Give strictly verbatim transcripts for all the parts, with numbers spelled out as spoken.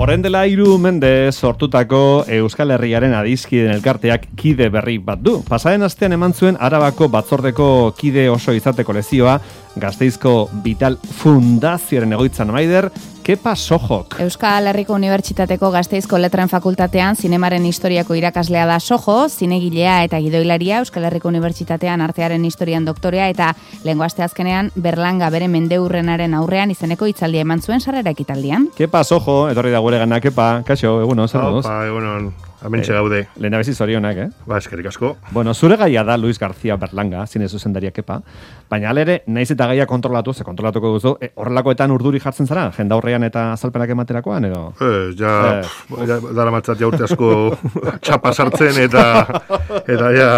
Horren dela hiru mende sortutako Euskal Herriaren adizkideen elkarteak kide berri bat du. Pasaren astean eman zuen Arabako batzordeko kide oso izateko lezioa Gasteizko Vital Fundazioaren egoitzan maider, Kepa Sojok. Euskal Herriko Unibertsitateko Gasteizko Letren Fakultatean zinemaren historiako irakaslea da Sojo, zinegilea eta gidoilaria, Euskal Herriko Unibertsitatean artearen historian doktorea eta lehengo asteazkenean Berlanga bere mendeurrenaren aurrean izeneko hitzaldia eman zuen sarrera ekitaldian. Kepa Sojo, etorri da gure gana, Kepa, kaixo, egunon, zer moduz? Opa, egunon. Hementxe gaude. Eh, Lehen abezi zorionak, eh? Ba, eskerrik asko. Bueno, zure gaia da Luis García Berlanga, zine zuzendaria Kepa, baina alere, naiz eta gaia kontrolatu, ze kontrolatuko duzu, e, horrelakoetan urduri jartzen zara, jenda horrean eta azalpenak ematerakoan, edo? Eh, ja, eh. Pff, ja dara matzat jaurte asko txapa sartzen eta, eta ja...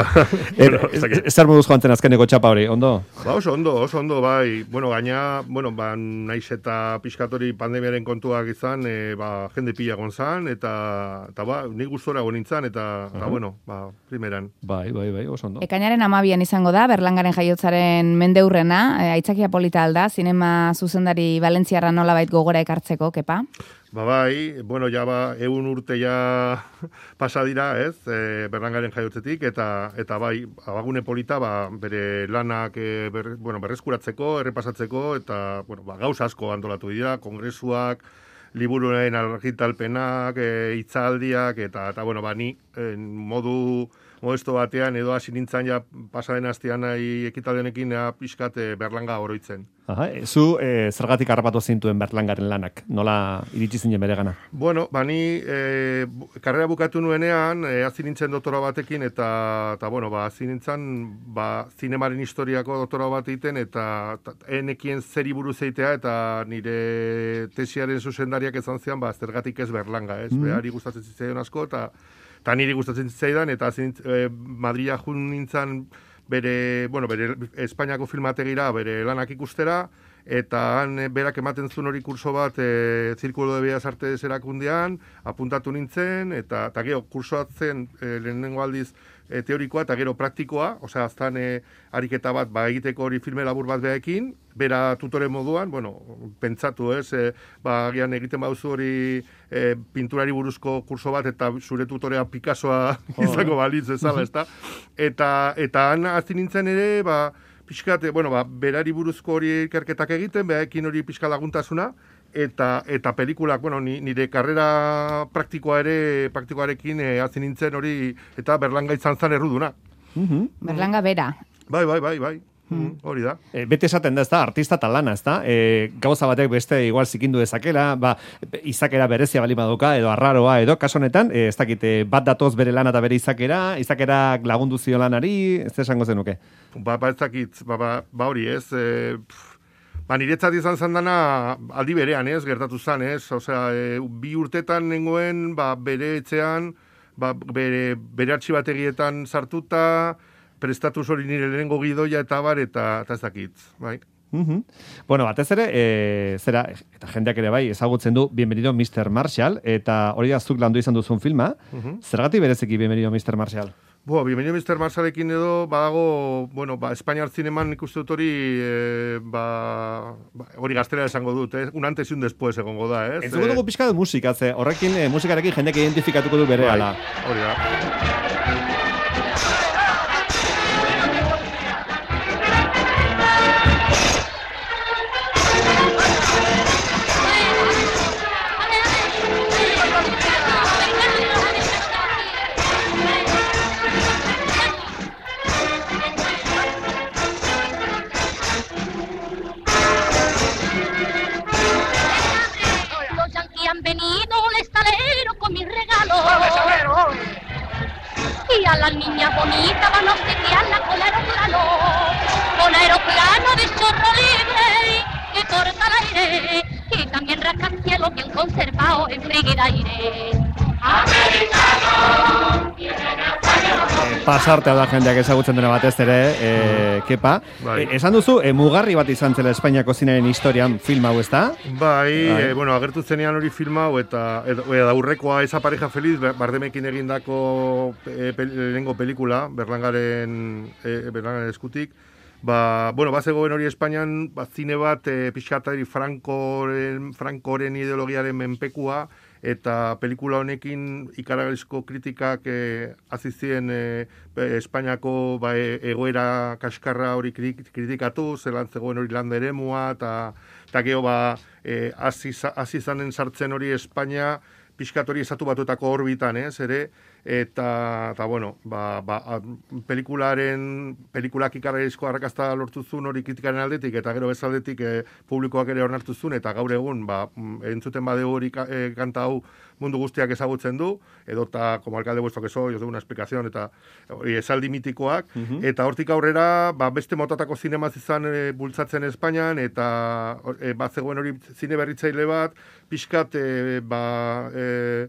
bueno, Zer moduz joan zen azkeneko txapa hori, ondo? Ba, oso ondo, oso ondo, bai. Bueno, gaina, bueno, ba, naiz eta pixkatori pandemiaren kontuak izan, e, ba, jende pila gonzan, eta, eta ba, nik gustora gonintzan, eta, uh-huh. eta bueno, ba, primeran. Bai, bai, bai, oso ondo. Ekainaren amabian izango da, Berlangaren jaiotzaren mendeurrena, e, aitzakia polita alda, zinema zuzendari Valentziarra nolabait gogora ekartzeko, Kepa? Ba bai, bueno, ja ba, egun urte ja pasa dira, ez, e, Berlangaren jaiotzetik, eta eta bai, abagune polita, ba, bere lanak e, ber, bueno, berreskuratzeko, errepasatzeko, eta bueno, ba, gauza asko antolatu dira, kongresuak, liburuaren argitalpenak, e, hitzaldiak, eta, eta bueno, ba, ni en, modu modesto batean, edo hasi nintzen ja pasaren astean nahi ekitaldenekin pixkat e, Berlanga oroitzen. Aha, e, zu e, zergatik harrapatu zintuen Berlangaren lanak? Nola iritsi zinen bere gana? Bueno, ba, ni e, karrera bukatu nuenean, e, hasi nintzen doktora batekin, eta, eta bueno, ba, hasi nintzen, ba, zinemaren historiako doktora bat egiten, eta enekien zeri buruz eitea, eta nire tesiaren zuzendariak ezan zian, ba, zergatik ez Berlanga, ez? Mm. Behari gustatzen zitzaion asko, eta eta niri gustatzen zitzaidan, eta zintz, e, Madria jun nintzen bere, bueno, bere Espainiako filmategira, bere lanak ikustera, eta han berak ematen zuen hori kurso bat e, Zirkulo de Bellas Artes erakundean, apuntatu nintzen, eta, eta gero kursoatzen e, lehenengo aldiz e, teorikoa eta gero praktikoa, osea, aztan e, ariketa bat, ba, egiteko hori filme labur bat behaekin, bera tutore moduan, bueno, pentsatu ez, e, ba, agian egiten baduzu hori e, pinturari buruzko kurso bat, eta zure tutorea Picassoa izango balitz ezala, ezta? Eta, eta han hasi nintzen ere, ba, pixkat, bueno, ba, berari buruzko hori ikerketak egiten, behaekin hori pixka laguntasuna, eta eta pelikulak, bueno, nire karrera praktikoa ere, praktikoarekin e, hasi nintzen hori, eta Berlanga izan zan erruduna. Mm-hmm. Berlanga bera. Bai, bai, bai, bai. Mm, hori da. E, bete esaten da, ez da, artista talana, ez da? E, gauza batek beste igual zikindu dezakela, ba, izakera berezia bali baduka, edo arraroa, edo kaso honetan, e, ez dakit, bat datoz bere lana eta bere izakera, izakerak lagundu zio lanari, ez esango zenuke? Ba, ba ez dakit, ba, ba, ba hori ez, e, ba, niretzat izan zandana aldi berean, ez, gertatu zan, ez, osea, e, bi urtetan nengoen, ba, bere etxean, ba, bere, bere artxibategietan sartuta, prestatuz hori nire lehenengo gidoia eta bar, eta, eta ez dakit, bai. Mm-hmm. Bueno, batez ere, e, zera, eta jendeak ere bai, ezagutzen du Bienvenido mister Marshall, eta hori da zuk landu izan duzun filma, mm-hmm. Zergatik bereziki Bienvenido mister Marshall? Bo, Bienvenido mister Marshallekin edo, badago, bueno, ba, Espainiar zineman ikuste dut hori, e, ba, ba, hori gaztera esango dut, eh? Un antes y un después egongo da, ez? Ez dugu pixka dut musika, ze horrekin, e, musikarekin jendeak identifikatuko du bere ala. Hori da. Y a las niñas bonitas van a obsequiarla con aeroplano, con aeroplano de chorro libre que corta el aire y también rascacielos bien conservados en frigidaire. Americano, pasartea da jendeak ezagutzen dena batez ere, e, Kepa. Bai. E, esan duzu, e, mugarri bat izan zela Espainiako zinaren historian film hau, ezta? Bai, bai. E, bueno, agertu zenean hori film hau, eta eta aurrekoa Esa pareja feliz, Bardemekin egindako e, pel, lehenengo pelikula, Berlangaren, e, Berlangaren eskutik. Ba, bueno, bazegoen hori Espainian, ba, zine bat, e, pixkatari Frankoren, Frankoren ideologiaren menpekua, eta pelikula honekin ikaragarrizko kritikak e, azizien e, Espainiako ba, e, egoera kaskarra hori kritikatu, zelan zegoen hori landa eremua, eta eta geho ba, e, azizanen sartzen hori Espainia, pixkat hori estatu batutako orbitan, ez, ere, eta, eta bueno, ba, ba, pelikularen, pelikulak ikarrizko arrakazta lortu zuen hori kritikaren aldetik, eta gero bezaldetik e, publikoak ere onartu zuen, eta gaur egun, ba, entzuten badeu hori ka, e, kanta hau mundu guztiak ezagutzen du, edota, como alcalde vuestro que soy, os doy una explicación, eta hori esaldi mitikoak, uh-huh. Eta hortik aurrera, ba, beste motatako zinemaz izan e, bultzatzen Espainian, eta e, bat zegoen hori zine berritzaile bat, pixkat, e, ba, e,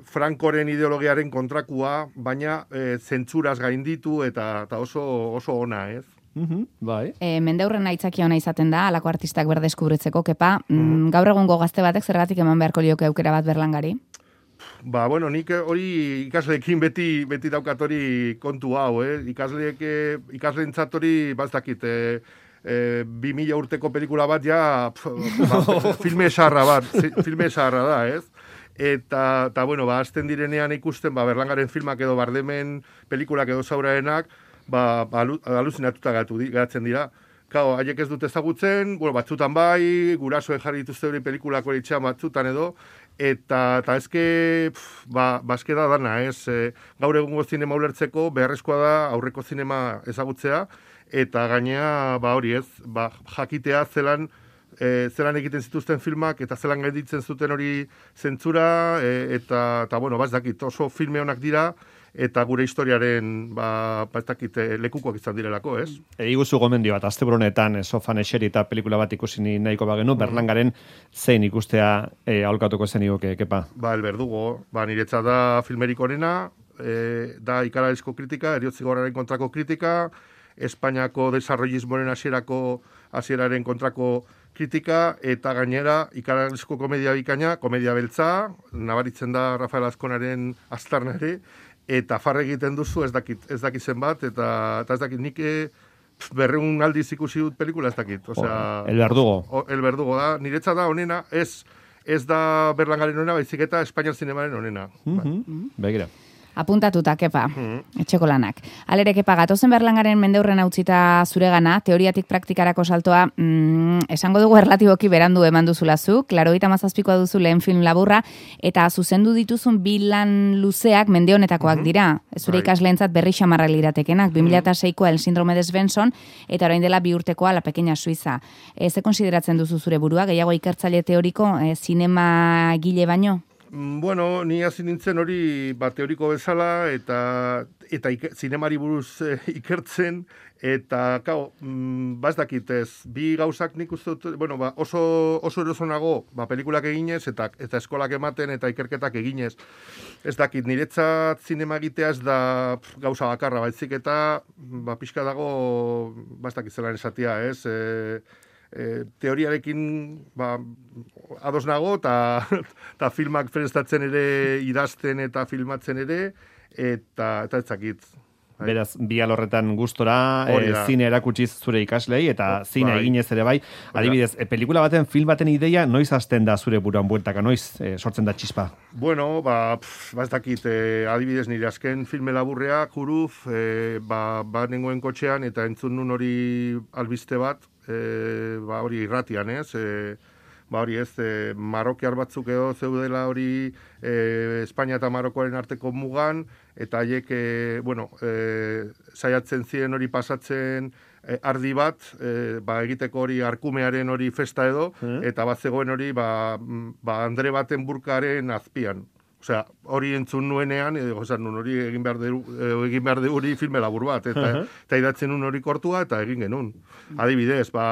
Frankoren ideologiaren kontrakua, baina e, zentzuraz gainditu eta, eta oso, oso ona, ez? Mm-hmm, bai. E, mendeurren aitzakia ona izaten da, alako artistak berdeskubritzeko, kepa, mm-hmm. gaur egungo gazte batek zergatik eman beharko lioke aukera bat Berlangari? Ba, bueno, nik hori ikasleekin beti beti daukat hori kontu hau, eh? Ikasleek, ikasleentzat hori, bazdakit, eh, eh, bi mila urteko pelikula bat ja, pf, ba, filme esarra bat, filme esarra da, ez? Eta, eta bueno, ba, azten direnean ikusten, ba, Berlangaren filmak edo Bardemen pelikulak edo zauraenak, ba, ba aluzinatuta gatu, geratzen dira. Kao, haiek ez dute ezagutzen, bueno, batzutan bai, gurasoen jarri dituzte hori pelikulak hori itxean batzutan edo, eta, eta ezke, pf, ba, bazke da dana, ez, e, gaur egungo zinema ulertzeko, beharrezkoa da aurreko zinema ezagutzea, eta gainea, ba hori ez, ba, jakitea zelan, E, zelan egiten zituzten filmak eta zelan gainditzen zuten hori zentzura e, eta, eta bueno, ba ez dakit, oso filme honak dira eta gure historiaren ba, ba ez dakit, lekukoak izan direlako, ez? Eguzu gomendio bat, asteburunetan sofan eseri eta pelikula bat ikusi nahiko bagenu, mm. Berlangaren zein ikustea e, aholkatuko zen iguke, kepa? Ba, El Verdugo, ba, niretzat da filmerik onena, e, da ikararizko kritika, eriotzigorraren kontrako kritika, Espainiako desarrollismoren hasierako hasieraren kontrako kritika, eta gainera ikararizko komedia bikaina, komedia beltza, nabaritzen da Rafael Azkonaren aztarnare, eta farre egiten duzu ez dakit, ez dakit zenbat, eta, eta ez dakit nik berreun aldiz ikusi dut pelikula ez dakit. Osea, El Verdugo. O, El Verdugo da, niretza da onena, ez, ez da Berlangaren onena, baizik eta Espainiar zinemaren onena. Mm-hmm. Begira. Apuntatuta, kepa, mm. etxeko lanak. Alere, kepa, gatozen Berlangaren mendeurren hautzita zuregana, teoriatik praktikarako saltoa, mm, esango dugu erlatiboki berandu eman duzulazuk, larogeita hamazazpikoa duzu lehen film laburra, eta zuzendu dituzun bi lan luzeak mende honetakoak mm-hmm. dira. Zure ikasleentzat berri xamarra liratekenak, bi mila seikoa El Síndrome de Svensson, eta orain dela bi urtekoa La Pequeña Suiza. E, ze konsideratzen duzu zure burua, gehiago ikertzaile teoriko, e, zinema gile baino? Bueno, ni hasi nintzen hori ba, teoriko bezala eta eta ike, zinemari buruz e, ikertzen eta kao, mm, ba ez dakit ez, bi gauzak nik uste dut, bueno, ba, oso, oso erosonago ba, pelikulak eginez eta eta eskolak ematen eta ikerketak eginez. Ez dakit, niretzat zinema egitea ez da pf, gauza bakarra, baizik eta ba, pixka dago, ba ez dakit zelan esatia, ez, e, E, teoriarekin ba, ados nago eta filmak prestatzen ere, idazten eta filmatzen ere, eta eta ez dakit. Beraz, bi alorretan gustora, e, zine erakutsiz zure ikaslei, eta zine bai. Eginez ere bai. Adibidez, e, pelikula baten, film baten ideia, noiz hasten da zure buruan bueltaka, noiz e, sortzen da txispa? Bueno, ba, pff, ba ez dakit, e, adibidez nire azken filme laburrea, Juruf, e, ba, ba nengoen kotxean, eta entzun nun hori albiste bat, e, ba hori irratian, ez, e, ba hori ez, e, marokiar batzuk edo zeudela hori e, Espainia eta Marokoaren arteko mugan, eta haiek, e, bueno, e, saiatzen ziren hori pasatzen e, ardi bat, e, ba egiteko hori arkumearen hori festa edo, mm. eta bat zegoen hori, ba, ba Andre baten burkaren azpian. Osea, hori entzun nuenean, edo esan nun hori egin behar de, egin behar de hori filme labur bat, eta, uh-huh. eta idatzen nun hori kortua, eta egin genuen. Adibidez, ba,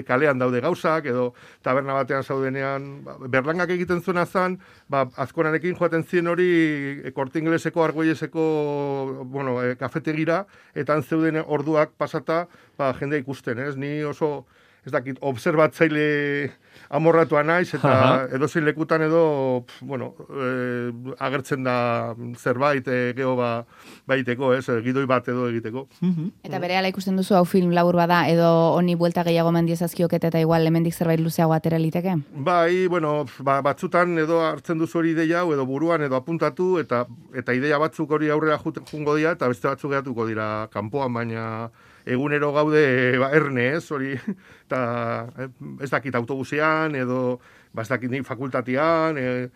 kalean daude gauzak, edo taberna batean zaudenean, ba, Berlangak egiten zuena zan, ba, Azkonarekin joaten zien hori Korte Ingleseko, Argoieseko, bueno, e, kafetegira, eta zeuden orduak pasata, ba, jende ikusten, ez? Ni oso ez dakit, observatzaile amorratua naiz, eta edozein lekutan edo, bueno, e, agertzen da zerbait, e, geho ba, baiteko, ez, gidoi bat edo egiteko. Eta berehala ikusten duzu hau film labur bada, edo honi buelta gehiago mendiezazkioket eta igual hemendik zerbait luzeago atera liteke? Bai, bueno, ba, batzutan edo hartzen duzu hori ideia hau, edo buruan edo apuntatu, eta eta ideia batzuk hori aurrera jungo dira, eta beste batzuk geratuko dira kanpoan, baina egunero gaude ba, erne, ez, hori, eta ez dakit autobusean, edo, ba, ez dakit fakultatean, e,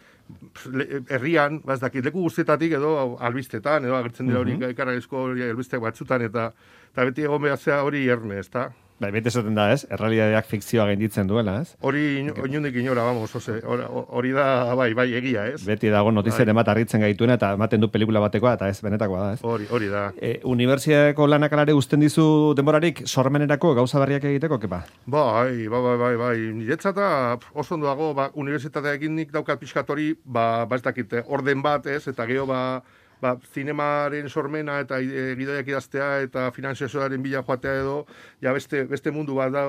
herrian, ba, ez dakit leku guztietatik, edo albistetan, edo agertzen dira hori, uh -huh. ikaragizko hori albistek batzutan, eta, eta beti egon behazea hori erne, ez da? Bai, bete esaten da, ez? Errealidadeak fikzioa gainditzen duela, ez? Hori oinundik inora, vamos, ose, hori da, bai, bai, egia, ez? Beti dago notizien emat harritzen gaituena eta ematen du pelikula batekoa, eta ez, benetakoa da, ez? Hori, hori da. E, Unibertsitateko lanak alare uzten dizu denborarik sormenerako gauza berriak egiteko, kepa? Bai, bai, bai, bai, bai. Niretzata oso ondo dago, ba, unibertsitateakin nik daukat pixkatori, ba, ba ez dakit, orden bat, ez? Eta geho, ba, ba, zinemaren sormena eta e, gidoiak idaztea eta finanziazioaren bila joatea edo, ja beste, beste mundu bat da,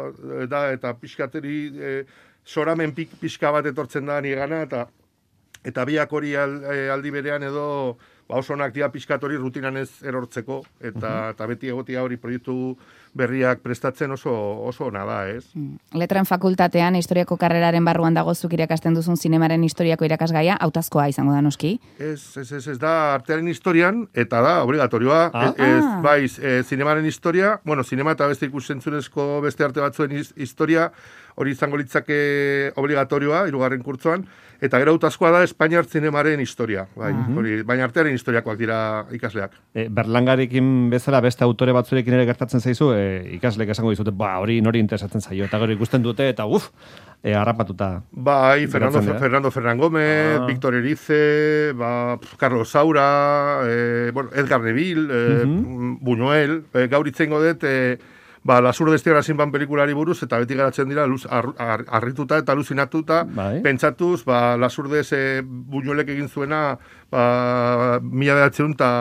da eta pixkateri e, soramen pik, pixka bat etortzen da nigana, eta eta biak hori aldi berean edo ba, oso onak dira pixkatori rutinan ez erortzeko, eta, uh-huh. eta beti egotia hori proiektu berriak prestatzen oso oso ona da, ez? Letren fakultatean historiako karreraren barruan dago zuk irakasten duzun zinemaren historiako irakasgaia, hautazkoa izango da noski? Ez, ez, ez, ez da artearen historian, eta da obligatorioa, ah. ez, bai, e, zinemaren historia, bueno, zinema eta beste ikusentzunezko beste arte batzuen historia, hori izango litzake obligatorioa, hirugarren kurtzoan, eta gero hautazkoa da Espainiar zinemaren historia, bai, uh-huh. hori, baina artearen historiakoak dira ikasleak. E, Berlangarekin bezala beste autore batzurekin ere gertatzen zaizu, e, ikasleek esango dizute, ba, hori nori interesatzen zaio, eta gero ikusten dute, eta uf, e, harrapatuta. Bai, Fernando, Fernando Ferran Gómez, ah. Víctor Erice, ba, Carlos Saura, e, bueno, Edgar Neville, e, uh-huh. Buñuel, e, gaur itzengo dut, e, ba, Lasur destiara zinban pelikulari buruz, eta beti garatzen dira, luz, ar, ar, arrituta eta aluzinatuta, bai. Pentsatuz, ba, Lasur des e, Buñuelek egin zuena, ba, mila behatzen eta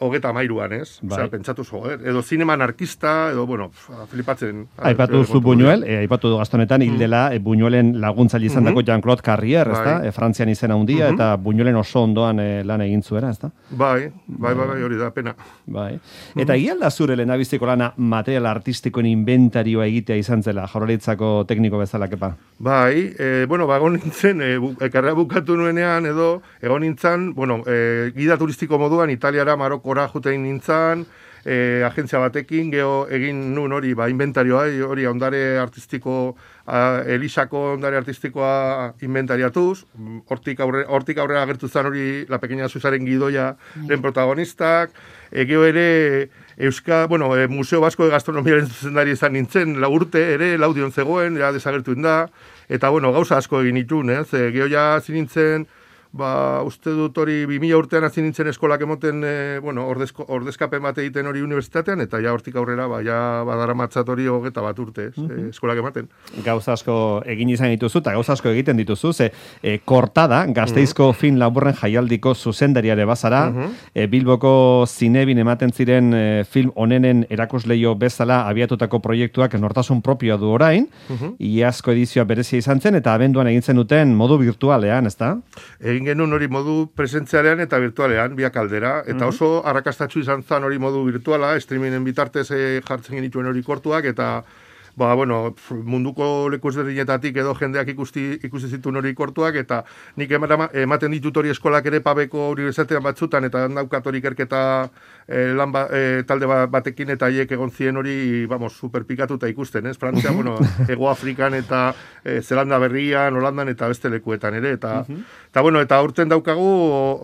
hogeta mairuan, ez? Bai. Osea, pentsatu zo, eh? Edo zinema anarkista, edo, bueno, flipatzen. Aipatu zu Buñuel, eh, aipatu du gastonetan, hildela, mm. eh, Buñuelen laguntzaile izan dako mm-hmm. Jean-Claude Carrier, ez da? Bai. Eh, Frantzian izena handia, mm-hmm. eta Buñuelen oso ondoan eh, lan egin zuera, ez da? Bai, bai, bai, bai, hori da, pena. Bai. Eta mm-hmm. da zure lehenabiziko lana material artistikoen inventarioa egitea izan zela, Jaurlaritzako tekniko bezala, kepa? Bai, eh, bueno, ba, egon nintzen, eh, bu, ekarra bukatu nuenean, edo, egon nintzen, bueno, eh, gida turistiko moduan, Italiara, Maroko ora jutein nintzen, eh, agentzia batekin, geho egin nun hori, ba, inventarioa, hori ondare artistiko, a, Elisako ondare artistikoa inventariatuz, hortik aurre, hortik aurrera agertu zen hori La Pequeña Suizaren gidoia den protagonistak, e, geho ere, Euska, bueno, e, Museo Basko de Gastronomiaren zuzendari izan nintzen, la urte ere, laudion zegoen, ja desagertu da, eta, bueno, gauza asko egin itun, ez, e, geho ja zinintzen, ba, uste dut hori bi mila urtean hasi nintzen eskolak emoten, e, bueno, ordezko, ordezkapen bat egiten hori unibertsitatean, eta ja hortik aurrera, ba, ja badara matzat hori hogeta bat urte, ez, mm-hmm. e, eskolak ematen. Gauza asko egin izan dituzu, eta gauza asko egiten dituzu, ze e, Kortada, Gasteizko mm-hmm. film laburren jaialdiko zuzendariare bazara, mm-hmm. e, Bilboko zinebin ematen ziren e, film onenen erakusleio bezala abiatutako proiektuak nortasun propioa du orain, mm-hmm. iazko edizioa berezia izan zen, eta abenduan egintzen duten modu virtualean, ezta? Egin genuen hori modu presentzialean eta virtualean, biak aldera, eta oso arrakastatsu izan zen hori modu virtuala, streamingen bitartez e, jartzen genituen hori kortuak, eta ba, bueno, munduko leku ezberdinetatik edo jendeak ikusti, ikusi zituen hori kortuak, eta nik ematen ditut hori eskolak ere Pabeko unibertsitatean batzutan, eta daukat hori ikerketa e, lan ba, e, talde batekin, eta haiek egon zien hori, vamos, superpikatuta ikusten, ez? Frantzia, bueno, Ego Afrikan eta e, Zelanda Berrian, Holandan eta beste lekuetan ere, eta, eta bueno, eta urten daukagu,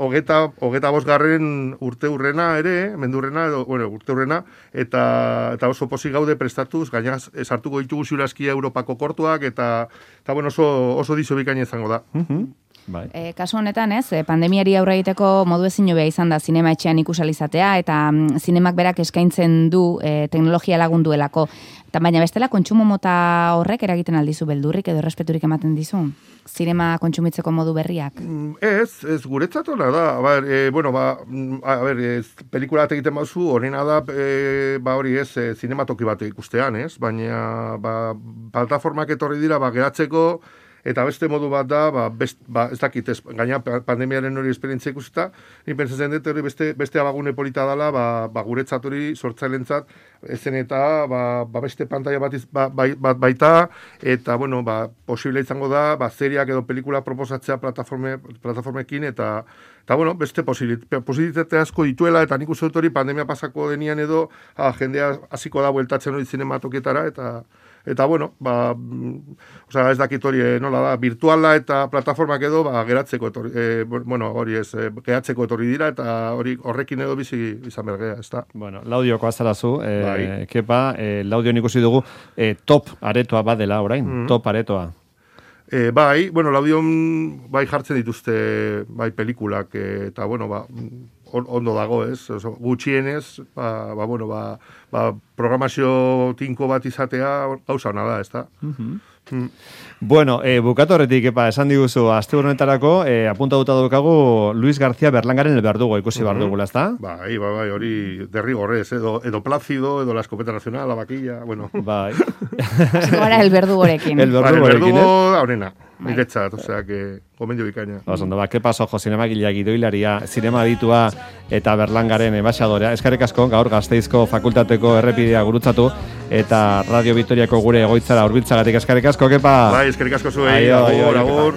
hogeta, hogeta bosgarren urte urrena ere, mendurrena, edo, bueno, urte urrena, eta, eta oso pozik gaude prestatuz, gainaz, sartuko ditugu ziurazkia Europako kortuak, eta, eta bueno, oso, oso dizo bikaina izango da. Uh-huh. Bai. E, kasu honetan, ez, pandemiari aurre egiteko modu ezin hobea izan da zinema etxean ikusalizatea, eta mm, zinemak berak eskaintzen du e, teknologia lagunduelako. Eta baina bestela, kontsumo mota horrek eragiten aldizu beldurrik edo errespeturik ematen dizu? Zinema kontsumitzeko modu berriak? Ez, ez guretzat hona da. A ber, e, bueno, ba, a ber, ez, pelikula bat egiten bazu, horrena da, e, ba hori ez, e, zinematoki bat ikustean, ez? Baina, ba, plataformak etorri dira, ba, geratzeko, eta beste modu bat da, ba, best, ba ez dakit, ez, gaina pandemiaren hori esperientzia ikusita, ni pentsatzen dut hori beste, beste abagune polita dela, ba, ba guretzat hori sortzailentzat, ezen eta ba, ba beste pantalla bat, iz, ba, bai, bat baita, eta bueno, ba, posible izango da, ba, seriak edo pelikula proposatzea plataforme, plataformekin, eta eta bueno, beste posibilitate asko dituela, eta nik uste dut hori pandemia pasako denian edo, ah, jendea hasiko da bueltatzen hori zinematokietara, eta Eta, bueno, ba, osea, ez dakit hori, eh, nola da, virtuala eta plataformak edo, ba, geratzeko etorri, eh, bueno, hori ez, eh, geratzeko etorri dira, eta hori horrekin edo bizi izan bergea, ez da. Bueno, laudioko azarazu, eh, bai. kepa, eh, laudio ikusi dugu, eh, top aretoa badela orain, mm. top aretoa. E, bai, bueno, laudion bai jartzen dituzte bai pelikulak, e, eta, bueno, ba, on, ondo dago, ez? Oso, gutxienez, ba, ba, bueno, ba, ba, programazio tinko bat izatea gauza hona da, ez da? Mm-hmm. Mm. Bueno, eh, bukatu horretik, epa, esan diguzu, aste honetarako, eh, apuntatuta daukagu Luis García Berlangaren el Verdugo, ikusi mm-hmm. bardugula, ez da? Bai, bai, bai, hori derrigorrez, edo, edo Plácido, edo la escopeta nacional, la vaquilla, bueno. Bai. Ahora el Verdugorekin. El Verdugo, bai, el Verdugo, aurrena. Niretzat, o sea, que gomendio bikaina. Osondo, ba, ke paso, jo, zinemagileak gidoilaria, zinema ditua eta Berlangaren embaixadorea. Eskerrik asko, gaur Gasteizko fakultateko errepidea gurutzatu eta Radio Vitoriako gure egoitzara hurbiltzagatik eskerrik asko, kepa. Bai, eskerrik asko zuei, agur, agur.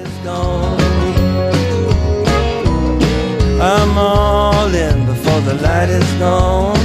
I'm all in before the light is gone.